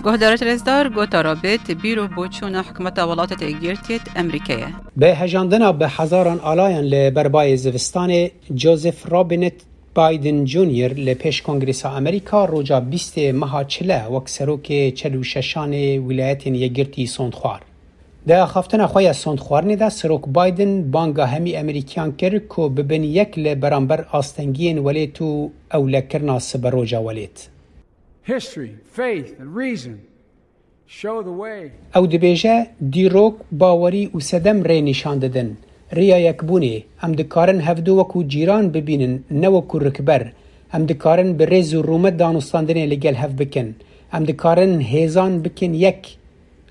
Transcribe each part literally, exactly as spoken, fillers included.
Guhdarêt rêzdar, gotara bêt bîr û boçûna hikûmeta Welatêt Yekgirtiyêt Emerîkeyê. Bi hejandina bi hezaran alayan li ber bayê zivistanê, Joseph Robinette Biden Junior li pêş Kongresa Amerîka roja bîstê meha çile wek serokê çel û şeşanê Wîlayetên Yekgirtî sond xwar. Di axaftina xwe ya sondxwarinê de Serok Biden banga hemî Emerîkiyan kir ku bibin yek li beramber astengiyên welêt û ewlekirina siberoja welêt. History, faith, and reason show the way. Ew dibêje, dîrok, bawerî û sedem rê nîşan didin. Riya yekbûnê, em dikarin hevdu wekû cîran bibînin, ne wekû rikber. Em dikarin bi rêz û rûmet danûstandinê li gel hev bikin. Em dikarin hêzan bikin yek,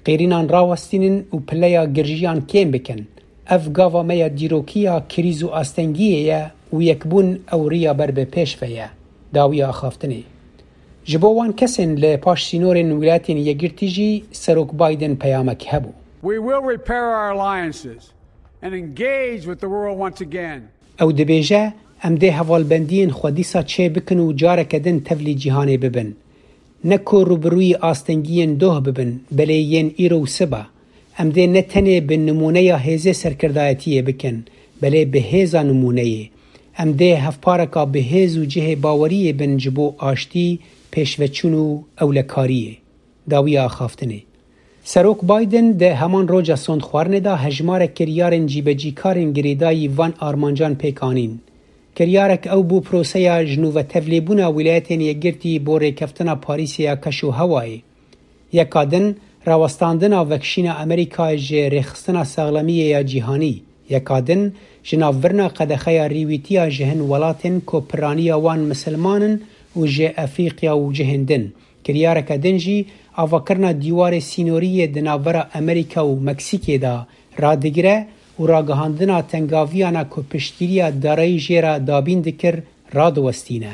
qêrînan rawestînin û pileya girjiyan kêm bikin. Ev gava me ya dîrokî ya krîz û astengiyê ye û yekbûn ew riya ber bi pêş ve ye. Dawiya axaftinê. Ji bo wan kesên li paş sînorên Wîlayetên Yekgirtî jî Serok Biden peyamek hebû. We will repair our alliances and engage with the world once again. Ew dibêje, em dê hevalbendiyên xwe dîsa çê bikin û careke din tevlî cîhanê bibin. Ne ku rûbirûyî astengiyên doh bibin, belê yên îro û siba. Em dê ne tenê bi nimûneya hêzê serkirdayetiyê bikin, belê bi hêza nimûneyê. Em dê hevpareka bi hêz û cihê baweriyê bin ji bo aştî, pêşveçûn û ewlekariyê. Dawiya axaftinê. Serok Biden di heman roja sondxwarinê de hejmarek kiryarên cîbecîkarên girêdayî van armancan pêk anîn. Kiryarek ew bû proseya ji nû ve tevlêbûna Wîlayetên Yekgirtî bo rêkeftina Parîsê ya keş û hewayê. Yeka din, rawestandina vekişîna Amerîkayê ji rêxistina saxlemiyê ya cîhanî. Yeka din, ji nav virina qedexeya rîwîtiya ji hin welatên ku piraniya wan misilman in û ji Efrîqya û cihên din. Kiryareke din jî avakirina dîwarê sînorî yê di navbera Amerîka û Meksîkê de radigire û ragihandina tengaviyana ku piştgiriya darayî jê re dabîn dikir radiwestîne.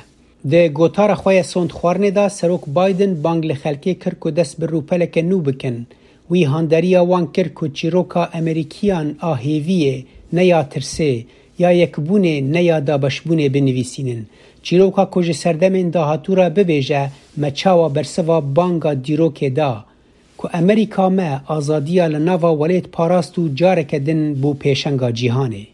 Di gotara xwe ya sondxwarinê de Serok Biden bang li xelkê kir ku dest bi rûpeleke nû bikin. Wî handeriya wan kir ku çîroka Amerîkiyan a hêviyê, ne ya tirsê, ya yekbûnê, ne ya dabeşbûnê binivîsînin. Çîroka ku ji serdemên dahatû re bibêje, me çawa bersiva banga dîrokê da, ku Amerîka me azadiya li nava welêt parast û careke din bû pêşenga cîhanê.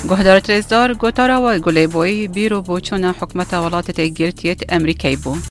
Guhdarêt rêzdar, gotara we Gulê Boyî bîr û boçûna hikûmeta Welatêt Yekgirtiyêt Emerîkeyê bû.